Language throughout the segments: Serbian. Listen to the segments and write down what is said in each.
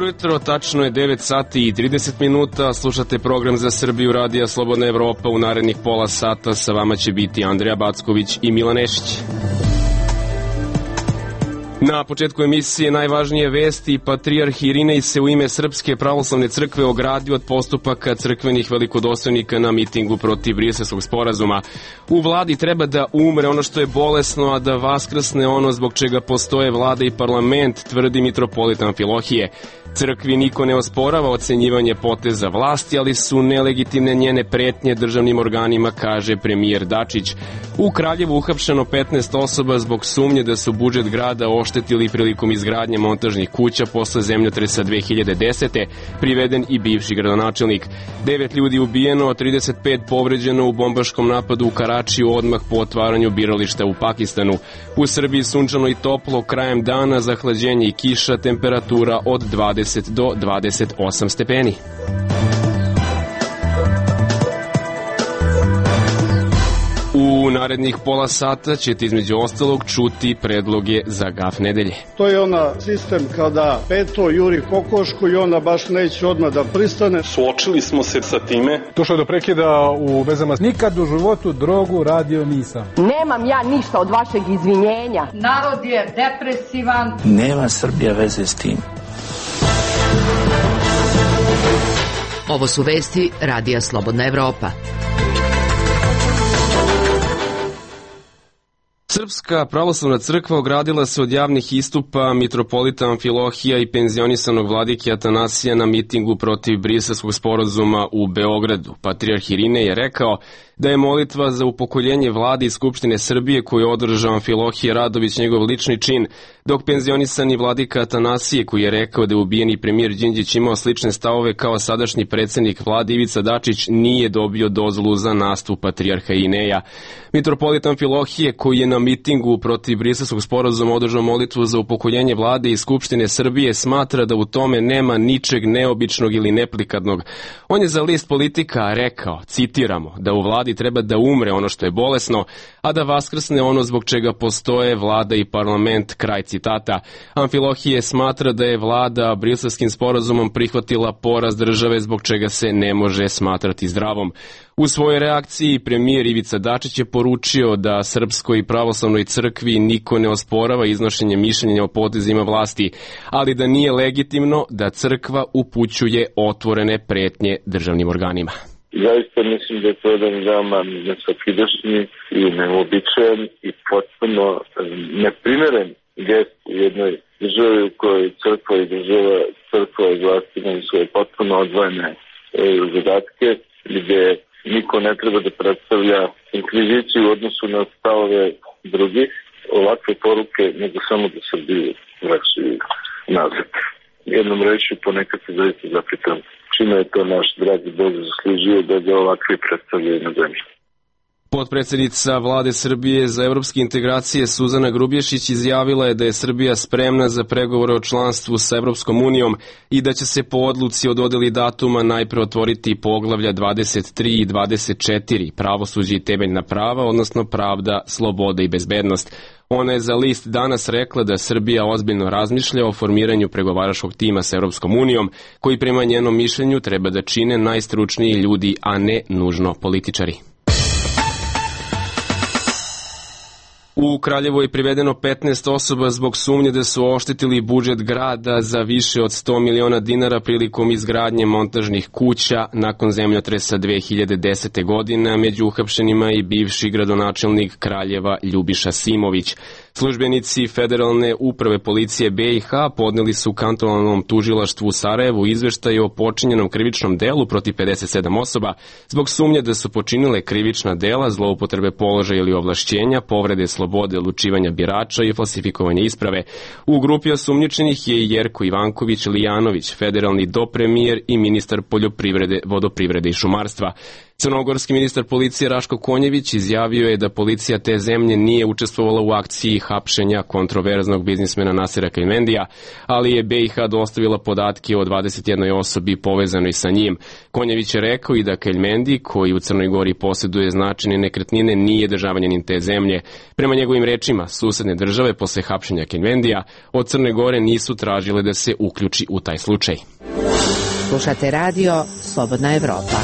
Dobro jutro, tačno je 9 sati i 30 minuta, slušate program za Srbiju Radija Slobodna Evropa. U narednih pola sata sa vama će biti Andrija Backović i Milan Nešić. Na početku emisije najvažnije vesti. Patrijarh Irinej se u ime Srpske pravoslavne crkve ogradio od postupaka crkvenih velikodostojnika na mitingu protiv Briselskog sporazuma. U vladi treba da umre ono što je bolesno, a da vaskrsne ono zbog čega postoje vlada i parlament, tvrdi mitropolit Amfilohije. Crkvi niko ne osporava ocenjivanje poteza vlasti, ali su nelegitimne njene pretnje državnim organima, kaže premijer Dačić. U Kraljevu uhapšeno 15 osoba zbog sumnje da su budžet grada oštetili prilikom izgradnje montažnih kuća posle zemljotresa 2010. Priveden i bivši gradonačelnik. 9 ljudi ubijeno, 35 povređeno u bombaškom napadu u Karačiju odmah po otvaranju birališta u Pakistanu. U Srbiji sunčano i toplo, krajem dana zahlađenje i kiša, temperatura od 20 do 28 stepeni. U narednih pola sata ćete između ostalog čuti predloge za gaf nedelje. To je ona sistem kada peto juri kokošku i ona baš neće odmah da pristane. Suočili smo se sa time. Došlo je do prekida u vezama. Nikad u životu drogu radio nisam. Nemam ja ništa od vašeg izvinjenja. Narod je depresivan. Nema Srbija veze s tim. Ovo su vesti Radija Slobodna Evropa. Srpska pravoslavna crkva ogradila se od javnih istupa mitropolita Amfilohija i penzionisanog vladike Atanasija na mitingu protiv Briselskog sporazuma u Beogradu. Patrijarh Irinej je rekao da je molitva za upokoljenje vlade i Skupštine Srbije koju je održao Amfilohije Radović njegov lični čin, dok penzionisani vladika Atanasije, koji je rekao da je ubijeni premijer Đinđić imao slične stavove kao sadašnji predsednik vlade Ivica Dačić, nije dobio dozvolu za nastup patrijarha Irineja. Mitropolit Amfilohije, koji je na mitingu protiv Briselskog sporazuma održao molitvu za upokoljenje vlade i Skupštine Srbije, smatra da u tome nema ničeg neobičnog ili neplikadnog. On je za list Politika rekao, citiramo, da u vladi treba da umre ono što je bolesno, a da vaskrsne ono zbog čega postoje vlada i parlament, kraj citata. Amfilohije smatra da je vlada Briselskim sporazumom prihvatila poraz države zbog čega se ne može smatrati zdravom. U svojoj reakciji premijer Ivica Dačić je poručio da Srpskoj pravoslavnoj crkvi niko ne osporava iznošenje mišljenja o potezima vlasti, ali da nije legitimno da crkva upućuje otvorene pretnje državnim organima. Zaista mislim da je to jedan veoma nesvakidašnji i neobičajan i potpuno neprimeren gest u jednoj državi u kojoj crkva i država, crkva i vlast imaju svoje potpuno odvojene zadatke, gde niko ne treba da predstavlja inkviziciju u odnosu na stavove drugih. Ovakve poruke nego samo da Srbiju vraćaju nazad. Jednom reći ponekad se zaista zapitam čime je to naš dragi Bog zaslužio da ga ovakve predstavljaju na zemlji. Potpredsednica vlade Srbije za evropske integracije Suzana Grubješić izjavila je da je Srbija spremna za pregovore o članstvu sa Evropskom unijom i da će se po odluci o dodeli datuma najpre otvoriti poglavlja 23 i 24, pravosuđe i temeljna prava, odnosno pravda, sloboda i bezbednost. Ona je za list Danas rekla da Srbija ozbiljno razmišlja o formiranju pregovaračkog tima sa Evropskom unijom, koji prema njenom mišljenju treba da čine najstručniji ljudi, a ne nužno političari. U Kraljevu je privedeno 15 osoba zbog sumnje da su oštetili budžet grada za više od 100 miliona dinara prilikom izgradnje montažnih kuća nakon zemljotresa 2010. godine, među uhapšenima i bivši gradonačelnik Kraljeva Ljubiša Simović. Službenici Federalne uprave policije BiH podneli su kantonalnom tužilaštvu u Sarajevu izveštaj o počinjenom krivičnom delu protiv 57 osoba zbog sumnje da su počinile krivična dela, zloupotrebe položaja ili ovlašćenja, povrede slobode odlučivanja birača i falsifikovanje isprave. U grupi osumnjičenih je i Jerko Ivanković Lijanović, federalni dopremijer i ministar poljoprivrede, vodoprivrede i šumarstva. Crnogorski ministar policije Raško Konjević izjavio je da policija te zemlje nije učestvovala u akciji hapšenja kontroverznog biznismena Nasira Keljmendija, ali je BiH dostavila podatke o 21 osobi povezanoj sa njim. Konjević je rekao i da Keljmendi, koji u Crnoj Gori posjeduje značajne nekretnine, nije državljanin te zemlje. Prema njegovim rečima, susedne države posle hapšenja Keljmendija od Crne Gore nisu tražile da se uključi u taj slučaj. Slušate radio Slobodna Evropa.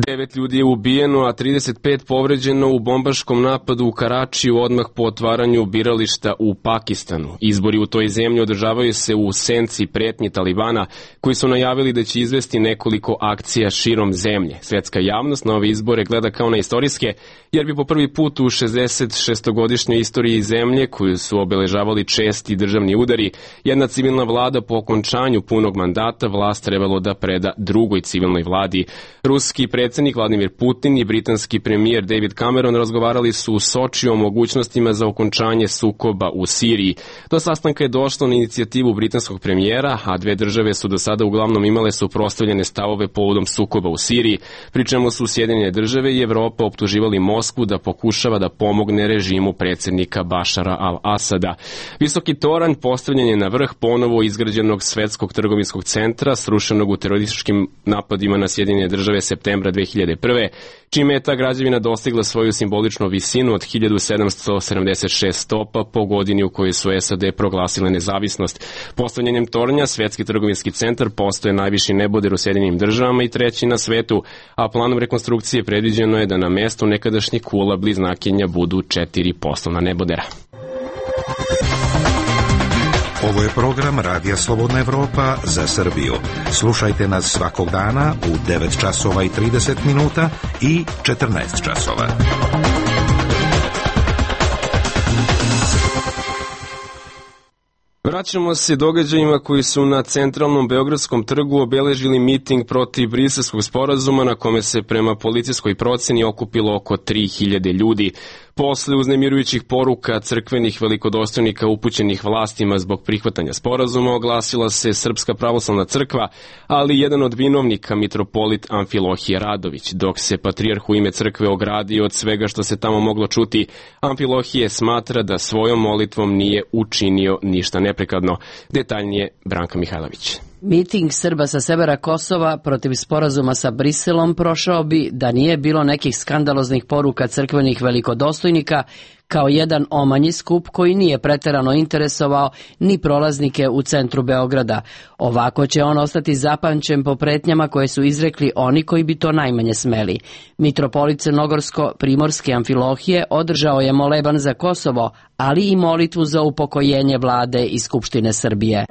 9 ljudi je ubijeno, a 35 povređeno u bombaškom napadu u Karačiju odmah po otvaranju birališta u Pakistanu. Izbori u toj zemlji održavaju se u senci pretnji Talibana, koji su najavili da će izvesti nekoliko akcija širom zemlje. Svetska javnost na ove izbore gleda kao na istorijske, jer bi po prvi put u 66-godišnjoj istoriji zemlje, koju su obeležavali česti državni udari, jedna civilna vlada po okončanju punog mandata vlast trebalo da preda drugoj civilnoj vladi. Ruski predsjednik Vladimir Putin i britanski premijer David Cameron razgovarali su u Sočiju o mogućnostima za okončanje sukoba u Siriji. Do sastanka je došlo na inicijativu britanskog premijera, a dve države su do sada uglavnom imale suprotstavljene stavove povodom sukoba u Siriji, pri čemu su Sjedinjene države i Evropa optuživali Moskvu da pokušava da pomogne režimu predsjednika Bašara al-Asada. Visoki toranj postavljen je na vrh ponovo izgrađenog svetskog trgovinskog centra, srušenog u terorističkim napadima na Sjedinjene države septembra 2001. čime je ta građevina dostigla svoju simboličnu visinu od 1776 stopa po godini u kojoj su SAD proglasile nezavisnost. Postavljanjem tornja Svetski trgovinski centar postaje najviši neboder u Sjedinjenim državama i treći na svetu, a planom rekonstrukcije predviđeno je da na mestu nekadašnjih kula bliznakinja budu 4 poslovna nebodera. Ovo je program Radija Slobodna Evropa za Srbiju. Slušajte nas svakog dana u 9 časova i 30 minuta i 14 časova. Vraćamo se događajima koji su na centralnom Beogradskom trgu obeležili miting protiv Briselskog sporazuma na kome se prema policijskoj proceni okupilo oko 3000 ljudi. Posle uznemirujućih poruka crkvenih velikodostojnika upućenih vlastima zbog prihvatanja sporazuma oglasila se Srpska pravoslavna crkva, ali jedan od vinovnika, mitropolit Amfilohije Radović. Dok se patrijarh u ime crkve ogradio od svega što se tamo moglo čuti, Amfilohije smatra da svojom molitvom nije učinio ništa neprekladno. Detaljnije Branka Mihajlović. Miting Srba sa severa Kosova protiv sporazuma sa Briselom prošao bi da nije bilo nekih skandaloznih poruka crkvenih velikodostojnika, kao jedan omanji skup koji nije preterano interesovao ni prolaznike u centru Beograda. Ovako će on ostati zapamćen po pretnjama koje su izrekli oni koji bi to najmanje smeli. Mitropolit Crnogorsko-Primorske Amfilohije održao je moleban za Kosovo, ali i molitvu za upokojenje vlade i Skupštine Srbije.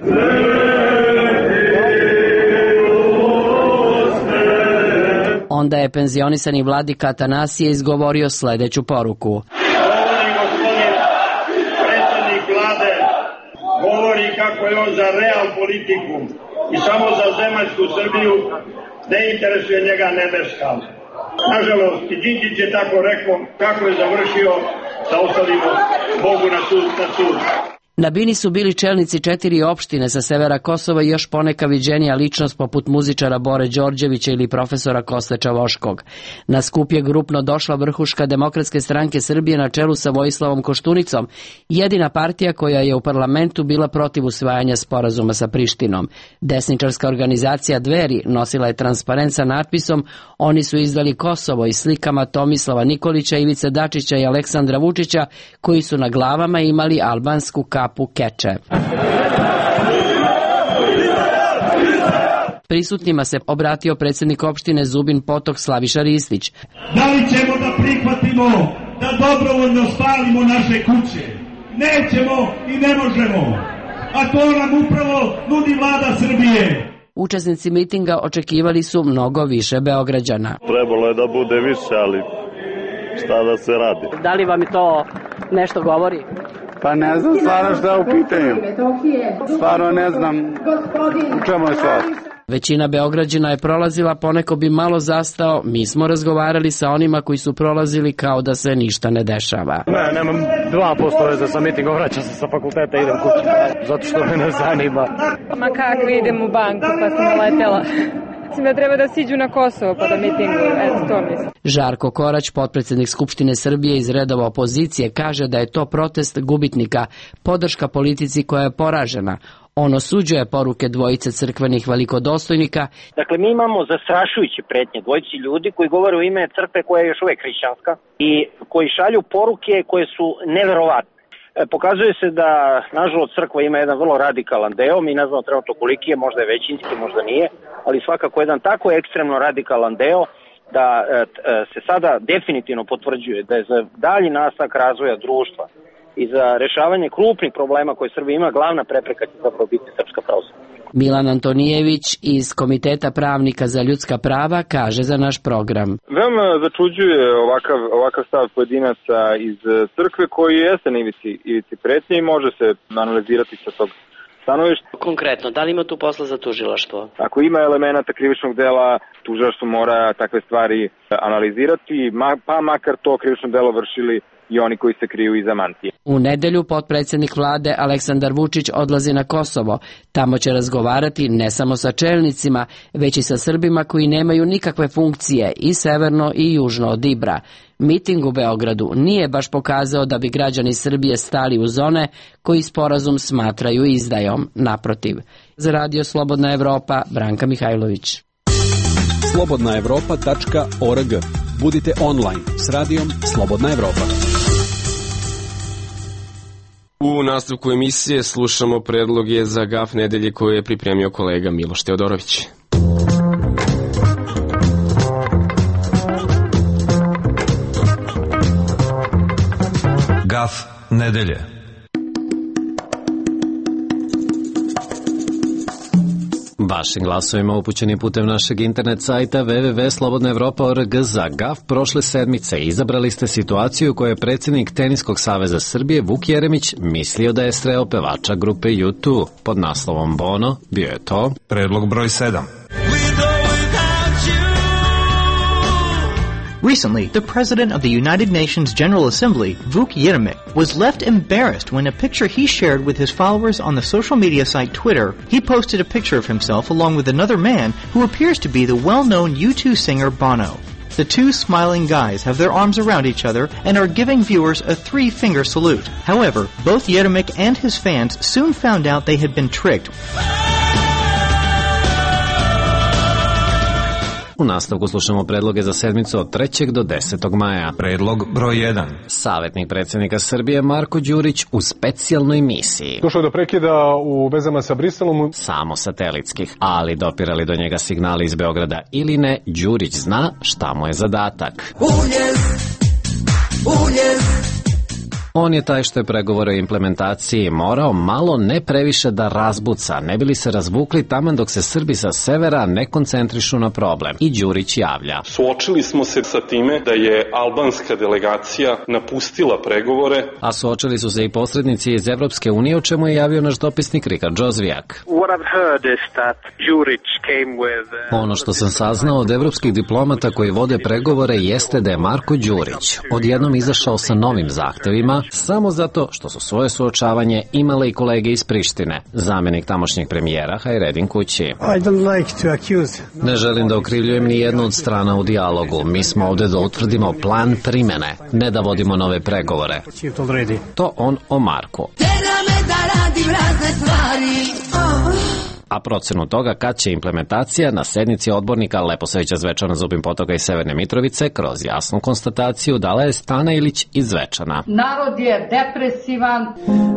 Onda je penzionisani vladika Atanasije izgovorio sledeću poruku. Govori gospodin predsjednik vlade, govori kako je on za real politiku i samo za zemaljsku Srbiju, ne interesuje njega nebeska. Nažalost, i Đinđić je tako rekao, kako je završio, da ostavimo Bogu na sud. Na bini su bili čelnici 4 opštine sa severa Kosova i još poneka viđenija ličnost poput muzičara Bore Đorđevića ili profesora Koste Čavoškog. Na skup je grupno došla vrhuška Demokratske stranke Srbije na čelu sa Vojislavom Koštunicom, jedina partija koja je u parlamentu bila protiv usvajanja sporazuma sa Prištinom. Desničarska organizacija Dveri nosila je transparent sa natpisom "Oni su izdali Kosovo" i slikama Tomislava Nikolića, Ivice Dačića i Aleksandra Vučića, koji su na glavama imali albansku kapu keče. Prisutnima se obratio predsjednik opštine Zubin Potok Slaviša Ristić. Da li ćemo da prihvatimo da dobrovoljno spalimo naše kuće? Nećemo i ne možemo. A to nam upravo nudi vlada Srbije. Učesnici mitinga očekivali su mnogo više Beograđana. Trebalo je da bude više, ali šta da se radi? Da li vam i to nešto govori? Pa ne znam stvarno šta je u pitanju. Stvarno ne znam u čemu je stvar. Većina Beograđana je prolazila, poneko bi malo zastao. Mi smo razgovarali sa onima koji su prolazili kao da se ništa ne dešava. Ne, nemam 2% veze sa mitingom, vraćam se sa fakulteta, idem kući, zato što me ne zanima. Ma kakvi, idem u banku, pa sam naletela. Mislim da treba da siđu na Kosovo pa da mitinguju, eto to mislim. Žarko Korać, potpredsednik Skupštine Srbije iz redova opozicije, kaže da je to protest gubitnika, podrška politici koja je poražena. On osuđuje poruke dvojice crkvenih velikodostojnika. Dakle, mi imamo zastrašujuće pretnje dvojici ljudi koji govore u ime crkve koja je još uvek hrišćanska i koji šalju poruke koje su neverovatne. Pokazuje se da, nažalost, crkva ima jedan vrlo radikalan deo, mi ne znamo trenutno koliki je, možda je većinski, možda nije, ali svakako jedan tako ekstremno radikalan deo da se sada definitivno potvrđuje da je za dalji nastavak razvoja društva i za rešavanje krupnih problema koje Srbija ima, glavna prepreka će zapravo biti Srpska pravoslavna. Milan Antonijević iz Komiteta pravnika za ljudska prava kaže za naš program. Veoma začuđuje ovakav stav pojedinaca iz crkve koji jeste na ivici pretnje i može se analizirati sa tog stanovišta. Konkretno, da li ima tu posla za tužilaštvo? Ako ima elemenata krivičnog dela, tužilaštvo mora takve stvari analizirati, pa makar to krivično delo vršili i oni koji se kriju iza mantije. U nedelju potpredsjednik vlade Aleksandar Vučić odlazi na Kosovo. Tamo će razgovarati ne samo sa čelnicima, već i sa Srbima koji nemaju nikakve funkcije i severno i južno od Ibra. Miting u Beogradu nije baš pokazao da bi građani Srbije stali uz one koji sporazum smatraju izdajom. Naprotiv. Za Radio Slobodna Evropa, Branka Mihajlović. slobodnaevropa.org. Budite online s radijom Slobodna Evropa. U nastavku emisije slušamo predloge za gaf nedelje koje je pripremio kolega Miloš Teodorović. Gaf nedelje. Vašim glasovima upućeni putem našeg internet sajta www.slobodnaevropa.org za GAF prošle sedmice izabrali ste situaciju u kojoj je predsjednik Teniskog saveza Srbije Vuk Jeremić mislio da je sreo pevača grupe U2. Pod naslovom Bono bio je to predlog broj 7. Recently, the president of the United Nations General Assembly, Vuk Jeremić, was left embarrassed when a picture he shared with his followers on the social media site Twitter, he posted a picture of himself along with another man who appears to be the well-known U2 singer Bono. The two smiling guys have their arms around each other and are giving viewers a 3-finger salute. However, both Jeremić and his fans soon found out they had been tricked. U nastavku slušamo predloge za sedmicu od 3. do 10. maja. Predlog broj 1. Savjetnik predsjednika Srbije Marko Đurić u specijalnoj misiji. Došlo je do prekida u vezama sa Briselom. Samo satelitskih, ali dopirali do njega signali iz Beograda ili ne, Đurić zna šta mu je zadatak. On je taj što je pregovore o implementaciji morao malo ne previše da razbuca, ne bili se razvukli taman dok se Srbi sa severa ne koncentrišu na problem. I Đurić javlja. Suočili smo se sa time da je albanska delegacija napustila pregovore. A suočili su se i posrednici iz Evropske unije, o čemu je javio naš dopisnik Rikard Džozvijak. Ono što sam saznao od evropskih diplomata koji vode pregovore jeste da je Marko Đurić odjednom izašao sa novim zahtevima samo zato što su svoje suočavanje imale i kolege iz Prištine. Zamjenik tamošnjeg premijera Hajredin Kući. Ne želim da okrivljujem ni jednu od strana u dijalogu. Mi smo ovde da utvrdimo plan primene, ne da vodimo nove pregovore. To on o Marku. A procenu toga kad će implementacija na sednici odbornika Leposavića Zvečana, Zubin Potoka i Severne Mitrovice kroz jasnu konstataciju dala je Stana Ilić iz Zvečana. Narod je depresivan.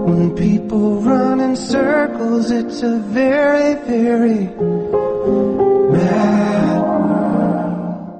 When people run in circles, it's a very, very bad.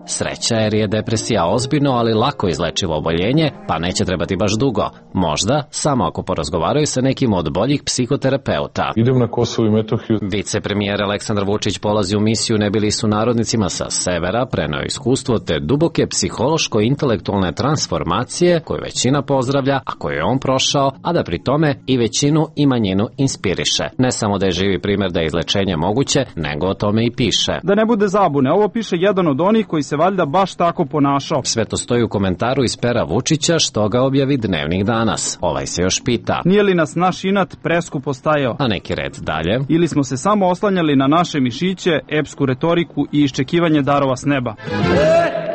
Sreća jer je depresija ozbiljno, ali lako izlečivo oboljenje, pa neće trebati baš dugo. Možda, samo ako porazgovaraju sa nekim od boljih psihoterapeuta. Idem na Kosovo i Metohiju. Vicepremijer Aleksandar Vučić polazi u misiju ne bili su narodnicima sa severa, preneo iskustvo te duboke psihološko-intelektualne transformacije koju većina pozdravlja, a koju je on prošao, a da pri tome i većinu i manjinu inspiriše. Ne samo da je živi primjer da je izlečenje moguće, nego o tome i piše. Da ne bude zabune, ovo piše jedan od onih koji se valjda baš tako ponašao. Sve to stoji u komentaru iz pera Vučića što ga objavi Dnevnik danas. Ovaj se još pita. Nije li nas naš inat preskupo stajao? A neki red dalje. Ili smo se samo oslanjali na naše mišiće, epsku retoriku i iščekivanje darova s neba?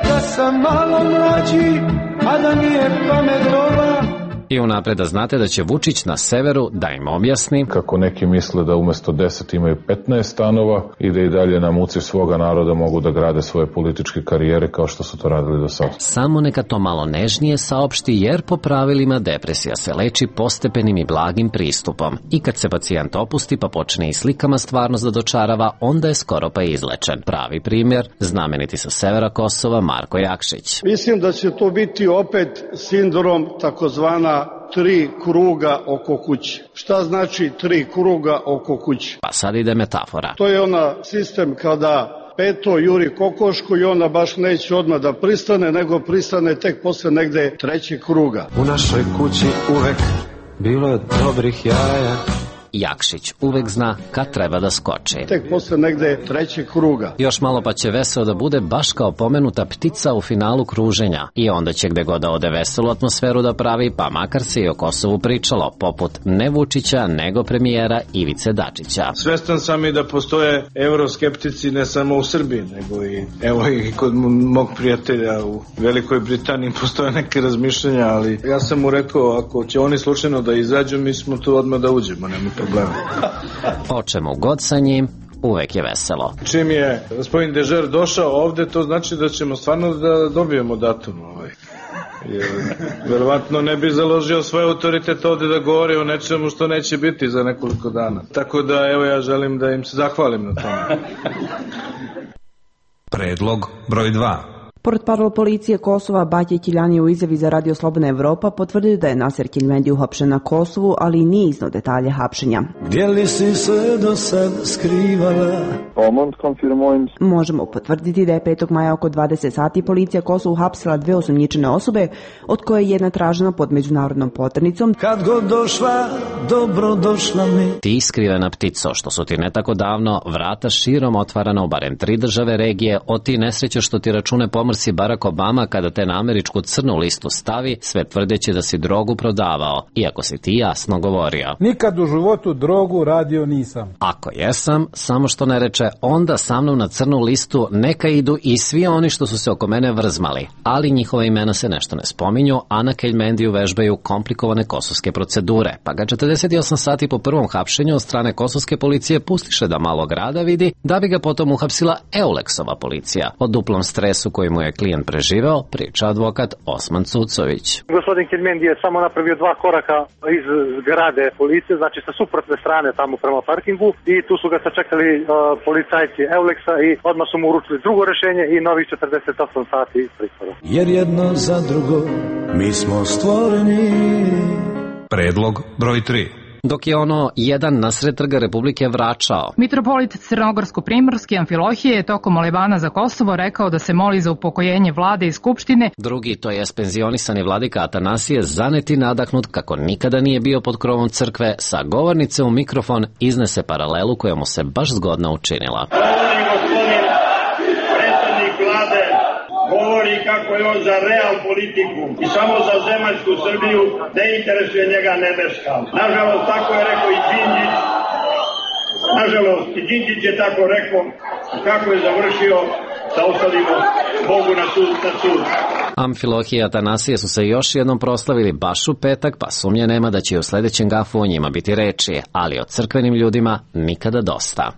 Da sam malo mlađi, a da nije pametova. I unapred da znate da će Vučić na severu da im objasni kako neki misle da umesto 10 imaju 15 stanova i da i dalje na muci svoga naroda mogu da grade svoje političke karijere kao što su to radili do sada. Samo neka to malo nežnije saopšti, jer po pravilima depresija se leči postepenim i blagim pristupom. I kad se pacijent opusti pa počne i slikama stvarnost da dočarava, onda je skoro pa izlečen. Pravi primjer, znameniti sa severa Kosova Marko Jakšić. Mislim da će to biti opet sindrom takozvana 3 kruga oko kuće. Šta znači 3 kruga oko kuće? Pa sad ide metafora. To je ona sistem kada peto juri kokošku i ona baš neće odmah da pristane, nego pristane tek posle negde 3. kruga. U našoj kući uvek bilo je dobrih jaja. Jakšić uvek zna kad treba da skoči. Tek posle negde 3. kruga. Još malo pa će veseo da bude baš kao pomenuta ptica u finalu kruženja. I onda će gde god da ode veselu atmosferu da pravi, pa makar se i o Kosovu pričalo, poput ne Vučića, nego premijera Ivice Dačića. Svestan sam i da postoje euroskeptici ne samo u Srbiji, nego i evo i kod mog prijatelja u Velikoj Britaniji postoje neke razmišljanja, ali ja sam mu rekao, ako će oni slučajno da izađu, mi smo tu odmah da uđemo, nema problema. O čemu god sa njim, uvek je veselo. Čim je gospodin Dežer došao ovde, to znači da ćemo stvarno da dobijemo datum. Jer verovatno ne bi založio svoj autoritet ovde da govori o nečemu što neće biti za nekoliko dana. Tako da evo ja želim da im se zahvalim na tome. Predlog broj 2. Portparol policije Kosova Batje Kiljani u izjavi za Radio Slobodna Evropa potvrdio da je Nasir Kiljmendi uhapšen na Kosovu, ali nije iznao detalje hapšenja. Gdje li si se do sad skrivala? Možemo potvrditi da je 5. maja oko 20 sati policija Kosovu uhapsila 2 osumnjičene osobe, od koje je jedna tražena pod međunarodnom poternicom. Kad god došla, dobro došla mi. Ti skrivena ptico, što su ti ne tako davno vrata širom otvarana u barem 3 države regije, od ti nesreće što ti račune pomrsi Barack Obama kada te na američku crnu listu stavi, sve tvrdeći da si drogu prodavao, iako si ti jasno govorio. Nikad u životu drogu radio nisam. Ako jesam, samo što ne reče, onda sa mnom na crnu listu neka idu i svi oni što su se oko mene vrzmali, ali njihova imena se nešto ne spominju, a na Keljmendiju vežbaju komplikovane kosovske procedure, pa ga 48 sati po prvom hapšenju od strane kosovske policije pustiše da malo grada vidi, da bi ga potom uhapsila Euleksova policija. O duplom stresu koji mu je klijent preživeo, priča advokat Osman Cucović. Gospodin Keljmendi je samo napravio 2 koraka iz zgrade policije, znači sa suprotne strane tamo prema parkingu, i tu su ga sačekali policajci Euleksa i odmah su mu uručili drugo rešenje i novih 48 sati pritvora. Jer jedno za drugo mi smo stvoreni. Predlog broj 3. Dok je ono jedan nasred trga Republike vračao. Mitropolit Crnogorsko-Primorski Amfilohije je tokom molebana za Kosovo rekao da se moli za upokojenje vlade i skupštine. Drugi, to je penzionisani vladika Atanasije, zaneti nadahnut kako nikada nije bio pod krovom crkve, sa govornice u mikrofon iznese paralelu koja mu se baš zgodno učinila. Govori kako je on za real politiku i samo za zemaljsku Srbiju, ne interesuje njega nebeska. Nažalost, tako je rekao i Đinđić. Nažalost, i Đinđić je tako rekao, kako je završio, da ostavimo Bogu na sud. Amfilohije i Atanasije su se još jednom proslavili baš u petak, pa sumnje nema da će u sledećem gafu o njima biti reči, ali o crkvenim ljudima nikada dosta.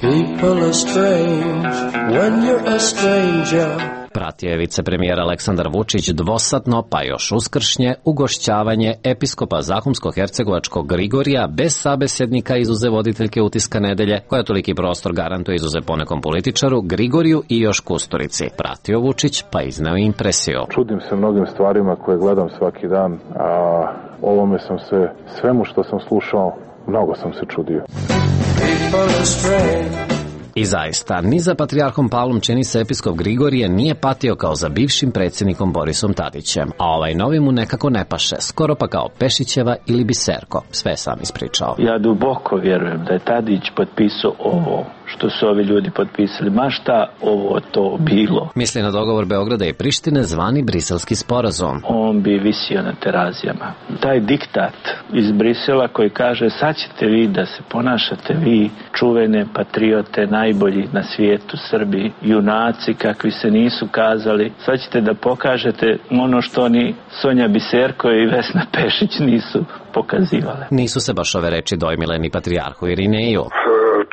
Pratio je vicepremijer Aleksandar Vučić dvosatno, pa još uskršnje, ugošćavanje episkopa Zahumsko-hercegovačkog Grigorija bez sabesednika izuze voditeljke Utiska nedelje, koja toliki prostor garantuje izuze ponekom političaru, Grigoriju i još Kusturici. Pratio Vučić, pa izneo impresiju. Čudim se mnogim stvarima koje gledam svaki dan, a ovome sam se, svemu što sam slušao, mnogo sam se čudio. I zaista, ni za patrijarhom Pavlom čini se episkop Grigorije nije patio kao za bivšim predsjednikom Borisom Tadićem, a ovaj novi mu nekako ne paše, skoro pa kao Pešićeva ili Biserko, sve sam ispričao. Ja duboko vjerujem da je Tadić potpisao ovo što su ovi ljudi potpisali, ma šta ovo to bilo. Misli na dogovor Beograda i Prištine zvani Briselski sporazum. On bi visio na terazijama. Taj diktat iz Brisela koji kaže sad ćete vi da se ponašate vi čuvene patriote, najbolji na svijetu, Srbi, junaci kakvi se nisu kazali, sad ćete da pokažete ono što ni Sonja Biserko i Vesna Pešić nisu pokazivale. Nisu se baš ove reči dojmile ni patrijarhu Irineju.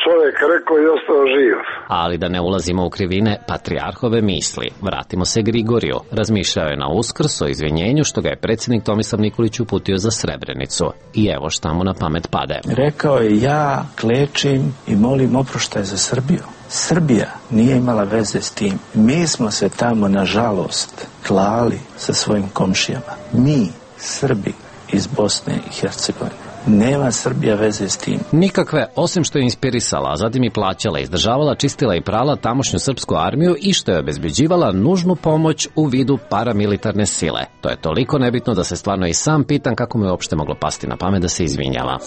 Čovjek rekao i ostao živ. Ali da ne ulazimo u krivine patrijarhove misli. Vratimo se Grigoriju. Razmišljao je na Uskrs o izvinjenju što ga je predsjednik Tomislav Nikolić uputio za Srebrenicu. I evo šta mu na pamet pade. Rekao je, ja klečim i molim oproštaj za Srbiju. Srbija nije imala veze s tim. Mi smo se tamo, nažalost, klali sa svojim komšijama. Mi, Srbi iz Bosne i Hercegovine. Nema Srbija veze s tim. Nikakve, osim što je inspirisala, a zatim i plaćala, izdržavala, čistila i prala tamošnju srpsku armiju i što je obezbeđivala nužnu pomoć u vidu paramilitarne sile. To je toliko nebitno da se stvarno i sam pitam kako mu je uopšte moglo pasti na pamet da se izvinjava.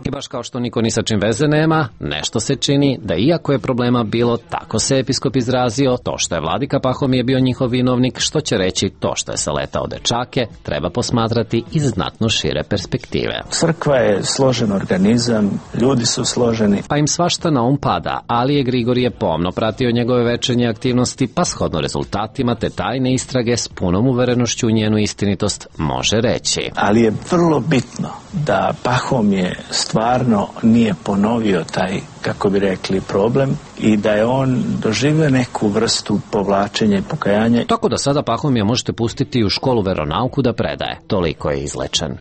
I baš kao što niko ni sa čim veze nema, nešto se čini da iako je problema bilo, tako se episkop izrazio, to što je vladika Pahomije bio njihov vinovnik, što će reći to što je saletao dečake, treba posmatrati iz znatno šire perspektive. Crkva je složen organizam, ljudi su složeni. Pa im svašta na pada, ali je Grigorije pomno pratio njegove večernje aktivnosti, pa shodno rezultatima te tajne istrage s punom uverenošću u njenu istinitost može reći. Ali je vrlo bitno da Pahomije stvarno nije ponovio taj, kako bi rekli, problem i da je on doživio neku vrstu povlačenja i pokajanja. Tako da sada Pahomija možete pustiti u školu veronauku da predaje. Toliko je izlečen.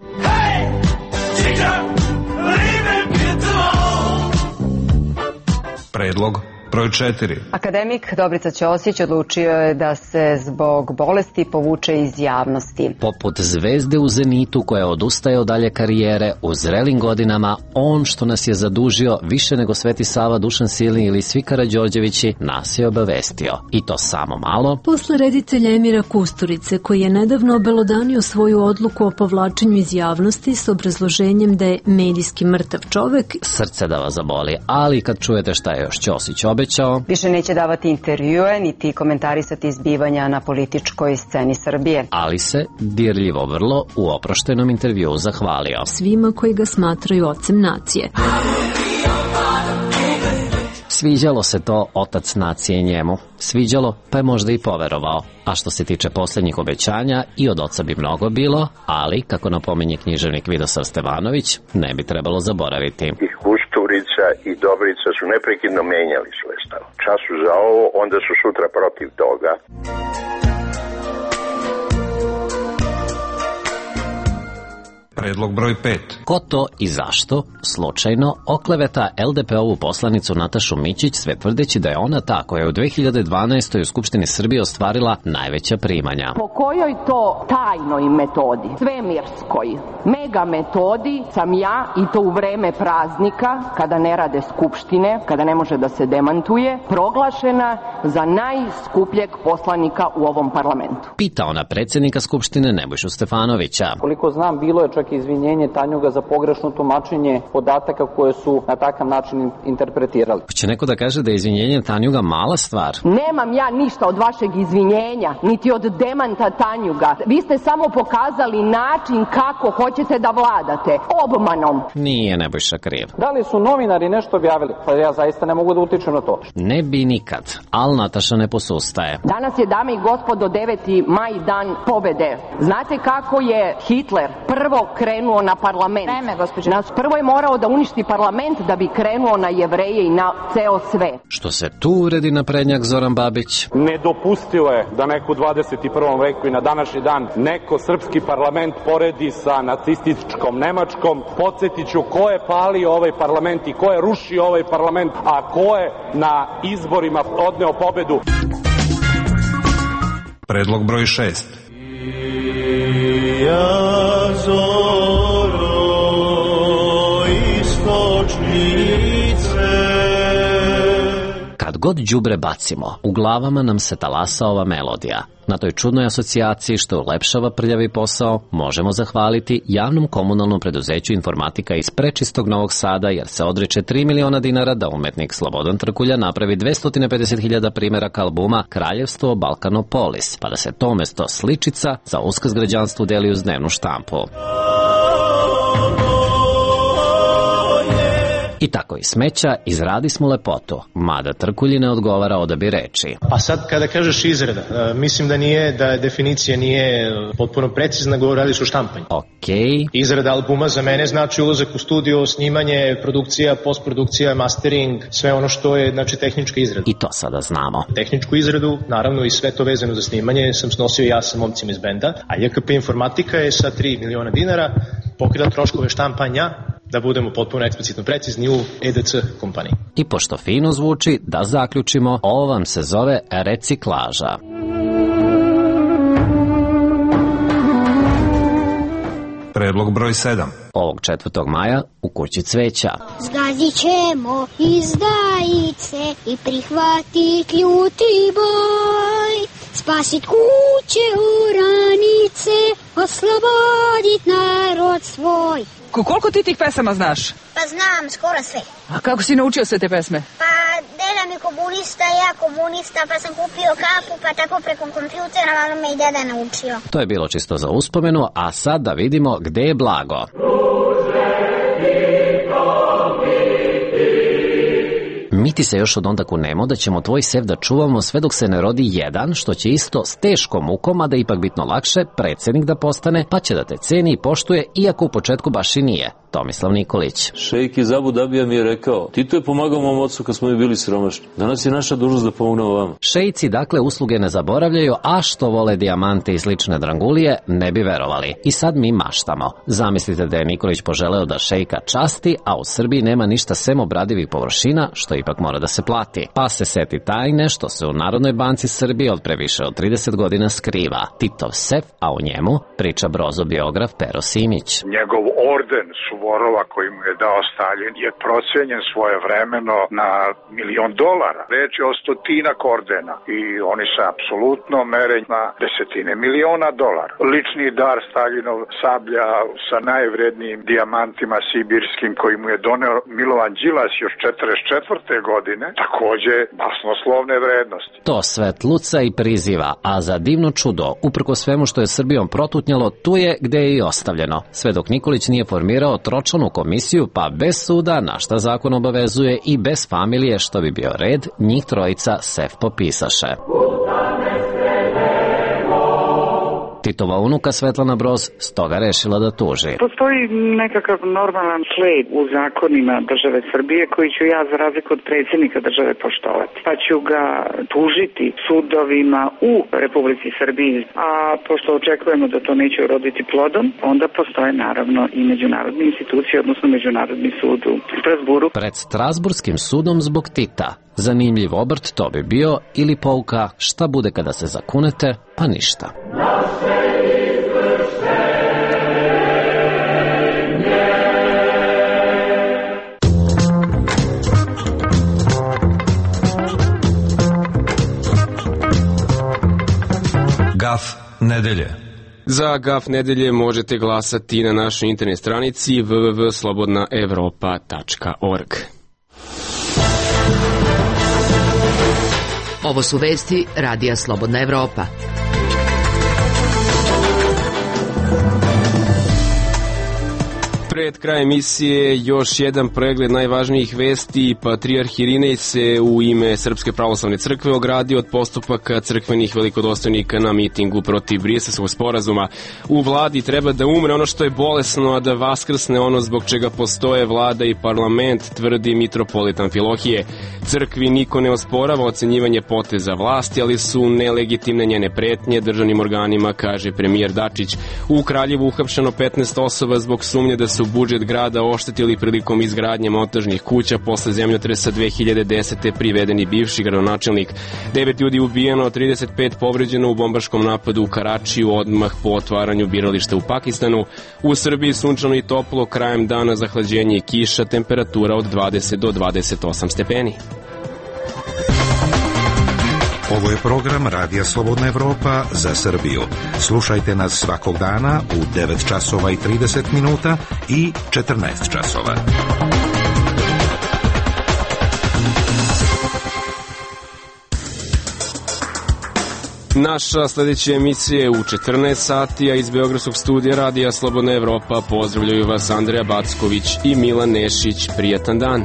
Predlog broj 4. Akademik Dobrica Ćosić odlučio je da se zbog bolesti povuče iz javnosti. Poput zvezde u zenitu koja odustaje od dalje karijere, u zrelim godinama, on što nas je zadužio više nego Sveti Sava, Dušan Silni ili svi Karađorđevići, nas je obavestio. I to samo malo. Posle reditelja Emira Kusturice, koji je nedavno obelodanio svoju odluku o povlačenju iz javnosti s obrazloženjem da je medijski mrtav čovek, srce da vas zaboli, ali kad čujete šta je još Ćosić obećao, više neće davati intervjue niti komentarisati zbivanja na političkoj sceni Srbije. Ali se dirljivo vrlo u oproštenom intervjuu zahvalio svima koji ga smatraju ocem nacije. Sviđalo se to otac nacije njemu. Sviđalo, pa je možda i poverovao. A što se tiče posljednjih obećanja, i od oca bi mnogo bilo, ali, kako napominje književnik Vidosav Stevanović, ne bi trebalo zaboraviti. I Kusturica i Dobrica su neprekidno menjali svoj stav. Čas su za ovo, onda su sutra protiv toga. Predlog broj 5. Ko to i zašto, slučajno, okleveta LDP-ovu poslanicu Natašu Mićić, sve tvrdeći da je ona ta koja je u 2012. u Skupštini Srbije ostvarila najveća primanja. Po kojoj to tajnoj metodi, svemirskoj, mega metodi sam ja, i to u vreme praznika, kada ne rade skupštine, kada ne može da se demantuje, proglašena za najskupljeg poslanika u ovom parlamentu? Pita ona predsjednika Skupštine Nebojšu Stefanovića. Koliko znam, bilo je čak izvinjenje Tanjuga za pogrešno tumačenje podataka koje su na takav način interpretirali. Će neko da kaže da je izvinjenje Tanjuga mala stvar? Nemam ja ništa od vašeg izvinjenja, niti od demanta Tanjuga. Vi ste samo pokazali način kako hoćete da vladate. Obmanom. Nije Nebojša kriv. Da li su novinari nešto objavili? Pa ja zaista ne mogu da utičem na to. Ne bi nikad, ali Nataša ne posustaje. Danas je, dame i gospodo, 9. maj, dan pobede. Znate kako je Hitler prvo krenuo na parlament? Prvo je morao da uništi parlament da bi krenuo na Jevreje i na ceo svet. Što se tu uredi naprednjak Zoran Babić? Nedopustivo je da neko u 21. veku i na današnji dan neko srpski parlament poredi sa nacističkom Nemačkom. Podsjetiću ko je palio ovaj parlament i ko je rušio ovaj parlament, a ko je na izborima odneo pobedu. Predlog broj 6. Kad god đubre bacimo, u glavama nam se talasa ova melodija. Na toj čudnoj asocijaciji što ulepšava prljavi posao možemo zahvaliti javnom komunalnom preduzeću Informatika iz prečistog Novog Sada, jer se odriče 3 miliona dinara da umetnik Slobodan Trkulja napravi 250.000 primjeraka albuma Kraljevstvo Balkanopolis, pa da se to mesto sličica za uskrs građanstvu deli uz dnevnu štampu. I tako iz smeća izradismo lepotu, mada Trkulji ne odgovara odabir reči. A sad kada kažeš izrada, mislim da definicija nije potpuno precizna, radiš o štampanju. Okej. Izrada albuma za mene znači ulazak u studio, snimanje, produkcija, postprodukcija, mastering, sve ono što je tehnička izrada. I to sada znamo. Tehničku izradu, naravno i sve to vezano za snimanje, sam snosio ja sa momcima iz benda, a JKP Informatika je sa 3 miliona dinara pokrila troškove štampanja, da budemo potpuno eksplicitno precizni, u EDC kompaniji. I pošto fino zvuči, da zaključimo, ovo vam se zove reciklaža. Predlog broj 7. Ovog 4. maja u Kući cveća. Zgazit ćemo izdajice i prihvatit ljuti boj, spasit kuće oranice, oslobodit narod svoj. Koliko ti tih pesama znaš? Pa znam, skoro sve. A kako si naučio sve te pesme? Pa deda mi komunista, ja komunista, pa sam kupio kapu, pa tako preko kompjutera, ali me i deda naučio. To je bilo čisto za uspomenu, a sad da vidimo gde je blago. Mi ti se još od onda kunemo da ćemo tvoj sef da čuvamo sve dok se ne rodi jedan, što će isto s teškom mukom, a da ipak bitno lakše, predsjednik da postane, pa će da te ceni i poštuje, iako u početku baš i nije. Tomislav Nikolić. Šejk iz Abu Dabija mi je rekao, Tito je pomagao mom ocu kad smo mi bili siromašni. Danas je naša dužnost da pomognemo vama. Šejci dakle usluge ne zaboravljaju, a što vole dijamante i slične drangulije, ne bi verovali. I sad mi maštamo. Zamislite da je Nikolić poželeo da šejka časti, a u Srbiji nema ništa sem obradivih površina, što ipak mora da se plati. Pa se seti tajne što se u Narodnoj banci Srbije od previše od 30 godina skriva. Titov sef, a u njemu priča Brozo biograf Pero Simić. Njegov orden Suvorova koji mu je dao Stalin je procenjen svojevremeno na $1.000.000. Reč je o stotinak ordena i oni se apsolutno mere na desetine miliona dolara. Lični dar Staljinov sablja sa najvrednijim dijamantima sibirskim koji mu je doneo Milovan Đilas još 44. godine, takođe basnoslovne vrednosti. To svet luca i priziva, a za divno čudo, uprko svemu što je Srbijom protutnjalo, tu je gde je i ostavljeno. Sve dok Nikolić nije formirao tročlanu komisiju, pa bez suda, na šta zakon obavezuje, i bez familije, što bi bio red, njih trojica sef popisaše. Titova unuka Svetlana Broz stoga rešila da tuži. Postoji nekakav normalan sled u zakonima države Srbije koji ću ja, za razliku od predsjednika države, poštovati. Pa ću ga tužiti sudovima u Republici Srbiji, a pošto očekujemo da to neće uroditi plodom, onda postoje naravno i međunarodne institucije, odnosno Međunarodni sud u Strasburu. Pred Strasburskim sudom zbog Tita. Zanimljiv obrt to bi bio, ili pouka šta bude kada se zakunete, pa ništa. Gaf nedelje. Za Gaf nedelje možete glasati na našoj internet stranici www.slobodnaevropa.org. Ovo su vesti Radija Slobodna Evropa. Pred kraj emisije još jedan pregled najvažnijih vesti. Patrijarh Irinej se u ime Srpske pravoslavne crkve ogradio od postupaka crkvenih velikodostojnika na mitingu protiv Briselskog sporazuma. U vladi treba da umre ono što je bolesno, a da vaskrsne ono zbog čega postoje vlada i parlament, tvrdi mitropolit Amfilohije. Crkvi niko ne osporava ocenjivanje poteza vlasti, ali su nelegitimne njene pretnje državnim organima, kaže premijer Dačić. U Kraljevu uhapšeno 15 osoba zbog sumnje da su budžet grada oštetili prilikom izgradnje montažnih kuća posle zemljotresa 2010. privedeni bivši gradonačelnik. 9 ljudi ubijeno, 35 povređeno u bombaškom napadu u Karačiju odmah po otvaranju birališta u Pakistanu. U Srbiji sunčano i toplo, krajem dana zahlađenje i kiša, temperatura od 20 do 28 stepeni. Ovo je program Radija Slobodna Evropa za Srbiju. Slušajte nas svakog dana u 9 časova i 30 minuta i 14 časova. Naša sledeća emisija je u 14 sati, a iz Beogradskog studija Radija Slobodna Evropa pozdravljaju vas Andreja Backović i Milan Nešić. Prijatan dan.